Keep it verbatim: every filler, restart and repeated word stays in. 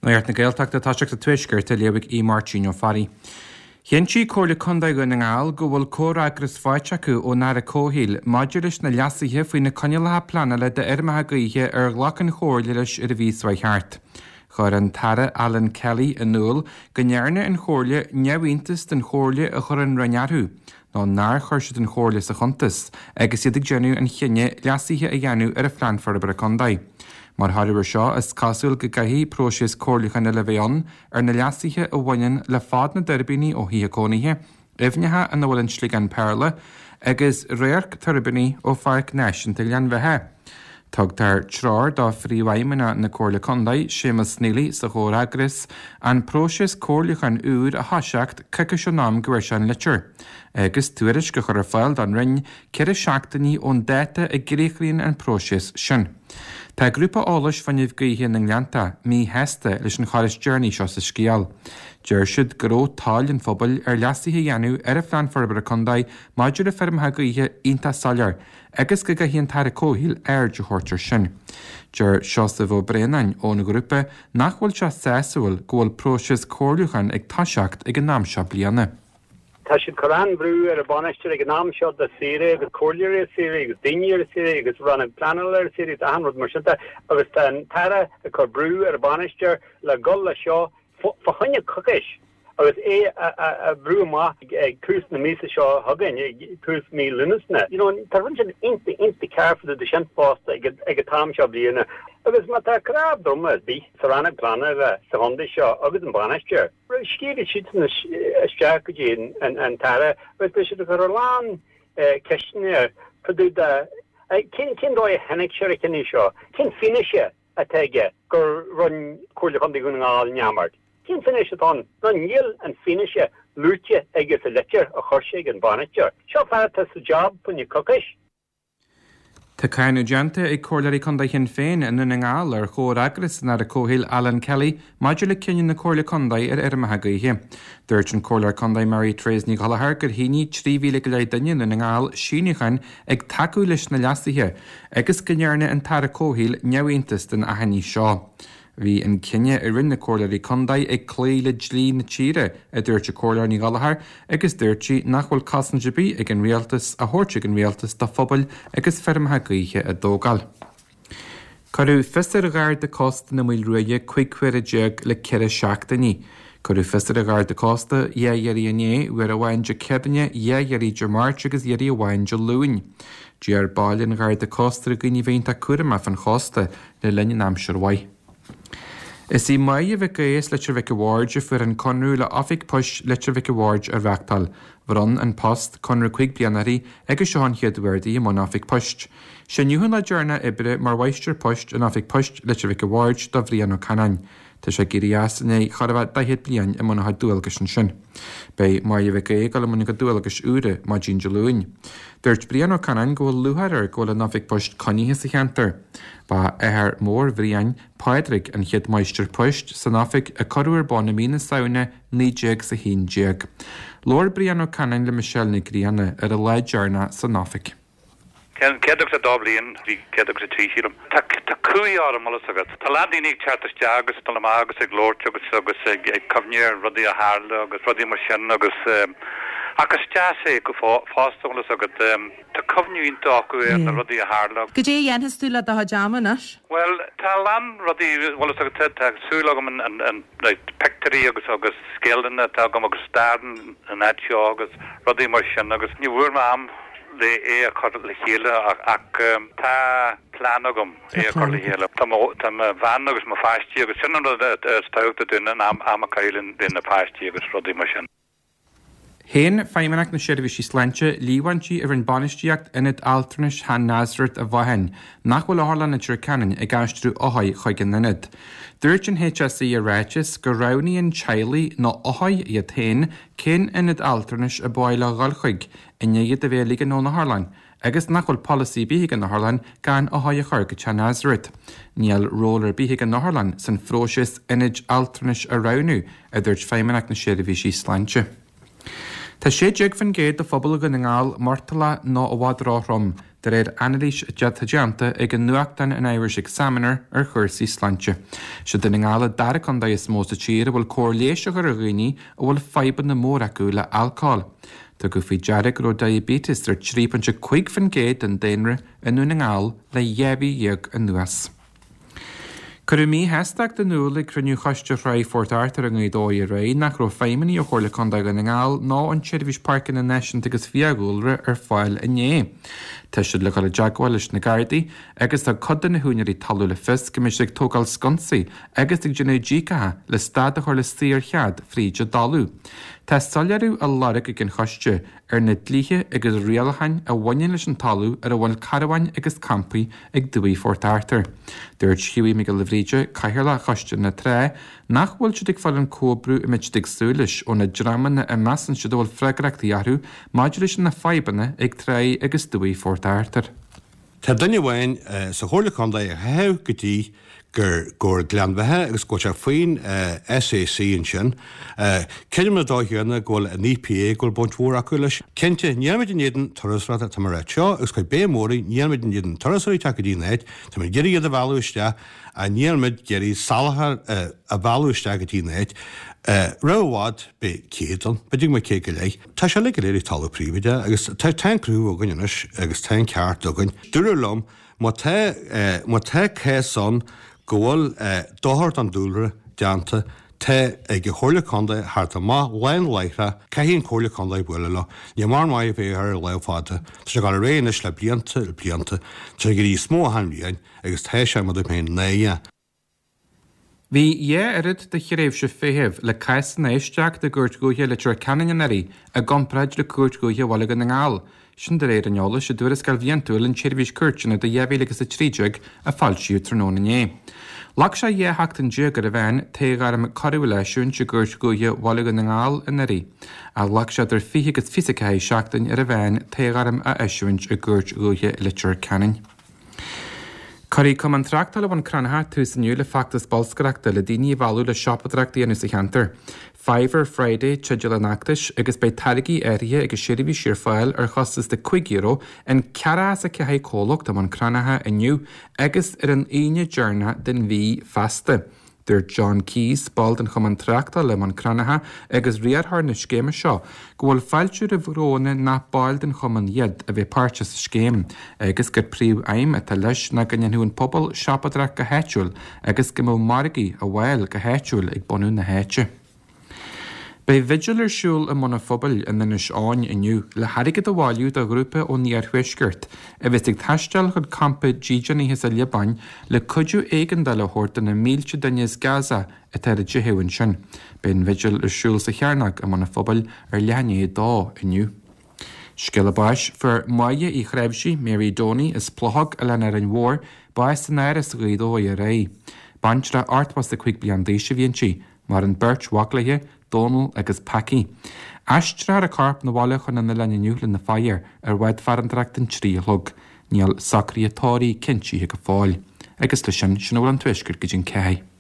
Nuacht na Gaeltachta toiseacht sa Tuaisceart á léamh ag Aodh Máirtín Ó Fearraigh. Chinntigh Comhairle Contae Dhún na nGall go bhfuil comhfhreagras faighte acu ón Aire Comhshaoil maidir leis na leasuithe faoi na coinníollacha pleanála d'fheirmeacha gaoithe ar ghlac an Chomhairle leis ar an mhí seo thart. Chuir an tAire Alan Kelly in iúl go ndearna an Chomhairle neamhiontas den chomhairle a chuir an Roinn orthu, nó nár chuir siad an Chomhairle sa chuntas agus iad ag déanamh an chinnidh leasuithe a dhéanamh ar a phlean forbartha contae. Mar thoradh air seo is cosúil go gcaithfidh próiseas comhairliúcháin eile bheith ann ar na leasuithe a bhaineann le fad na dtuirbíní ó thithe cónaithe, aibhneacha ina bhfuil an sliogán péarla, agus radharc tuirbíní ó Pháirc Náisiúnta Ghleann Bheatha. Tugtar treoir do phríomhfheidhmeannach na Comhairle Contae, Séamus Neely sa chomhfhreagras, an próiseas comhairliúcháin úr a thoiseacht coicís ón am go bhfuair sé an litir, agus tuairisc a chur ar fáil don Roinn ceithre seachtainí ón dáta a gcríochnaíonn an próiseas sin. Tá grúpa eolais fuinnimh gaoithe na nGleannta míshásta leis an chor is deireanaí seo sa scéal. Deir siad go raibh toil an phobail ar leasuithe a dhéanamh ar a phlean forbartha contae maidir le feirmeacha gaoithe iontach soiléir agus go gcaithfidh an tAire Comhshaoil aird a thabhairt air sin. Deir Seosamh Ó Braonáin ón ghrúpa nach bhfuil sé sásúil go bhfuil próiseas comhairliúcháin ag toiseacht ag an am seo bliana. Tá siad ag cur an-bhrú ar an bhainisteoir ag an am seo de saoire agus comhairleoirí ar saoire agus daoine ar saoire agus rannóg pleanála ar saoire agus achan rud mar sin de agus tá an tAire ag cur brú ar an bhainisteoir le dul le seo fá choinne coicís agus é a bhrú amach ag tús na míosa seo chugainn, ag tús mí Lúnasa. You know, tá rud sin iontach iontach cearr de sin fosta ag an t-am seo bliana. Agus má tá cnámh droma ar bith sa rannóg pleanála sa chontae seo agus an bainisteoir, scríobhfaidh siadsan isteach go dtí an tAire agus beidh siad ag cur a lán ceisteanna air fá dtaobh de cén cén dóigh a tháinig sé ar an chinneadh seo, cén fianaise atá aige gur rinne Comhairle Chontae Dhún na nGall neamart, cén fianaise atá ann? Nó níl an fianaise luaite aige sa litir a chuir sé ag an bhainisteoir. Seo fear atá sa job fá choinne coicís. Tá cáineadh déanta ag Comhairleoirí Contae Shinn Féin i nDún na nGall ar chomhfhreagras an Aire Comhshaoil Alan Kelly maidir le cinneadh na Comhairle Contae ar fheirmeacha gaoithe. Dúirt an Comhairleoir Contae Mary Therese Ní Ghallchóir gur shínigh trí mhíle go leith duine i nDún na nGall síniúcháin ag tacú leis na leasuithe agus go ndearna an tAire Comhshaoil neamhiontas den achainí seo. Bhí an cinneadh a rinne na Comhairleoirí Contae ag cloí le dlí na tíre, a dúirt an Comhairleoir Ní Ghallchóir, agus dúirt sí nach bhfuil cosaint ar bith ag an rialtas a thabhairt ag an rialtas do phobail agus feirmeacha gaoithe a dtógáil. Cuireadh fios ar Gharda Cósta na Maoile Ruaidhe cúig huaire déag le ceithre seachtainí. Cuireadh fios ar an Gharda Cósta dhá iarraidh inné, uair amháin Dé Céadaoine, dhá iarraidh Dé Máirt agus iarraidh amháin Dé Luain. D'iarr baill an Gharda Cósta ar dhaoine bheith iontach cúramach fan chósta le linn an aimsir mhaith. Is í Máire Mhic Aodha as Leitir Mhic a' Bhaird a fuair an conradh le Oifig Poist Leitir Mhic a' Bhaird a reáchtáil. Bhronn An Post conradh cúig bliana uirthi agus seo an chéad uair di i mbun Oifig Poist. Sé inniu an lá deireanach oibre mar mháistir poist in Oifig Poist Leitir Mhic a' Bhaird do Bhrian Ó Canáin. Tá sé ag éirí as i ndiaidh chóir a bheith daichead bliain i mbun a chuid dualgais ansin. Beidh Máire Mhic Aodha ag dul i mbun a cuid dualgais úra maidin Dé Luain. Dúirt Brian Ó Canáin go bhfuil lúcháir air go bhfuil an oifig poist coinnithe sa cheantar. Ba athair mór Bhriain, Pádraig, an chéad mháistir poist san oifig a cuireadh ar bun i mí na Samhna naoi déag is a haon déag. Labhair Brian Ó Canáin le Michelle Nic Grianna ar a lá deireanach san oifig. Céad agus a dó bliain, bhí céad agus a trí sílim. Tá tá cumhaidh orm, bhfuil fhios agat. Tá a lán daoine ag teacht isteach agus ag dul amach agus ag labhairt agus agus ag ag cuimhneamh ar rudaí a tharla agus rudaí mar sin agus ach is deas é go fosta, bhfuil fhios agat. Tá cuimhne iontach acu ar na rudaí a tharla. Goidé a dhéanfas tú le do chuid ama anois? Bhuel, tá a lán rudaí, bhfuil fhios agat, tá súil agam an an an na pictiúirí agus agus scéalana atá agam agus stair an áit seo agus rudaí mar sin agus ní bhfuair mé am le é a chur le chéile ach tá plean agam é a chur le chéile. Tá mo tá mo bhean agus mo pháistí agus sin an rud is tábhachtaí dúinn an am am a chaitheamh le na páistí agus rudaí mar sin. Shéan Feidhmeannacht na Seirbhísí Sláinte líomhaintí a rinne bainistíocht Ionad Altranais Chan Nazareth a Mhaighin nach bhfuil Otharlann Leitir Ceanainn ag aistriú othair chuig an ionad. Dúirt an HSE i ráiteas go roghnaíonn teaghlaigh nó othair iad féin cén ionad altranais ab áil leo dhul chuig i ndiaidh iad a bheith ag ligean ón otharlann agus nach bhfuil polasaí ar bith ag an otharlann gan othair a chur go Chan Nazareth. Níl ról ar bith ag an otharlann san phróiseas ionaid altranais a roghnú, a dúirt Feidhmeannacht na Seirbhísí Sláinte. Tá sé déag faoin gcéad de phobal Dhún na nGall murtallach nó i bhfad róthrom, de réir anailís atá déanta ag an nuachtán an Irish Examiner ar chúrsaí sláinte. Sé Dún na nGall an dara contae is mó sa tír a bhfuil cóir leighis á chur ar dhaoine a bhfuil fadhbanna móra acu le alcól. Tugadh faoi deara go raibh diaibéiteas ar trí pointe cúig faoin gcéad den daonra i nDún na nGall le dhá mhí dhéag anuas. Cuireadh míshástacht in iúl ag cruinniú Choiste Thráigh Phort Arthur i nGaoth Dobhair aréir nach raibh feidhmeannaigh ó Chomhairle Contae Dhún na nGall ná an tSeirbhís Páirceanna Náisiúnta agus Fiadhúlra ar fáil inné. Tá siad le dhul i dteagmháil leis na Gardaí agus thug cuid de na húinéirí talún le fios go mbeidh siad ag tógáil sconsaí agus ag déanamh díocacha le stad a chur le saorchead fríd an dtalamh. Tá soiléiriú á lorg ag an choiste ar na dlíthe agus rialacháin a bhaineann leis an talamh ar a bhfuil carbháin agus campaí ag Dumhaigh Phort Arthur. Dúirt Hughie Mac Giolla Bhríde, Cathaoirleach Choiste na Trá, nach bhfuil siad ag fáil an comhoibriú a mbeadh siad ag súil leis ó na dreamanna a measann siad a bhfuil freagrachtaí orthu maidir leis na fadhbanna ag Tráigh agus Dumhaigh Phort Arthur. Tá duine amháin sa Chomhairle Contae a theitheadh go dtí gur gur Gleann Bheatha agus go bhfuil sé faoin SAC ansin. Creidim an dóigh chéanna go bhfuil an EPA go bhfuil baint mhór acu leis. Cinnte, nílimid in éadan turasóireachta, tá mé ag ráit seo agus cuid béim mhór air, nílimid in éadan turasóirí teacht go dtí an áit, táimid ag iarraidh iad a mhealladh isteach ach nílimid ag iarraidh salachar a mhealladh isteach go dtí an áit. Roimh i bhfad beidh céad ann, b'fhéidir go mbeidh céad go leith. Tá sé uilig go léir ag talamh príobháideach agus tá an cruthú againn anois agus tá an ceart againn. Dúradh liom má tá má tá cás ann go bhfuil dochar don dúlra déanta, tá ag an Chomhairle Contae theacht amach lán láithreach, caithfidh an Chomhairle Contae bualadh leo. Ní mar maith a bheith ar lámh fada. Tá sé ag dul ar aghaidh anois le blianta, le blianta. Tá sé ag éirí níos mó achan bhliain agus tá sé, mar a dúirt mé, náireach. Bhí dhá oiread de thréimhse feithimh le cásanna a éisteacht i gCúirt Dhúiche Leitir Ceanainn anuraidh i gcomparáid le Cúirt Dhúiche Bhaile Dhún na nGall. Sin de réir an eolais i dtuarascáil bhliantúil an tSeirbhís Cúirteanna do dhá mhíle agus a trí déag a foilsíodh tráthnóna inné. Ghlac sé dhá sheachtain déag ar an mheán toghairm coiriúil a eisiúint i gCúirt Dhúiche Bhaile Dhún na nGall anuraidh. Ach ghlac sé idir fiche agus fiche a ceathair seachtain ar an mheán toghairm a eisiúint i gCúirt Dhúiche Leitir Ceanainn. Cuirfidh Cumann Tráchtála Bhun Cranncha tús inniu le feachtas bolscaireachta le daoine a mhealladh le siopadóireacht a dhéanamh sa cheantar. Fiver Friday teideal an fheachtais agus beidh táirgí áirithe agus seirbhísí ar fáil ar chostas de cúig euro in ceathracha is a ceathair comhlacht i mBun Cranncha inniu agus ar an Aoine deireanach den mhí feasta. Dúirt John Keyes, ball den Chumann Tráchtála i mBun Cranncha agus riarthóir na scéime seo, go bhfuil fáilte roimh ghnóanna nach baill den chumann iad a bheith páirteach sa scéim agus gur príomhaidhm atá leis ná go ndéanfadh an pobal siopadóireacht go háitiúil agus go mbeadh margaí á bhfáil go háitiúil ag bunú na háite. Beidh bhigil ar siúl i mBun an Phobail in Inis Eoghain inniu le hairgead a bhailiú do ghrúpa ón iarthuaisceart a bheas ag taisteal chun campa dídeanaithe sa Liobáin le cuidiú éigeandála a thabhairt do na mílte duine as Gaza atá ar a dteitheadh ansin. Beidh an bhigil ar siúl sa Chearnóg i mBun an Phobail ar leath i ndiaidh a dó inniu. Scéala báis, Fuair Máire Uí Chráimhsí, Mary Doney, as Plochóg, Oileán Árainn Mhór, bás san Áras Ghaoth Dobhair aréir. Baintreach ochtó is a cúig bliain d'aois a bhí inti. Maireann beirt mhac léi, Dónal agus Packy. Aistreofar a corp 'na bhaile chun an oileáin inniu lena faire ar bhád farantóireachta an trí a chlog. Níl socruithe tórraimh cinntithe go fóill. Agus leis sin, sin a bhfuil ón Tuaisceart go dtí an ceathair.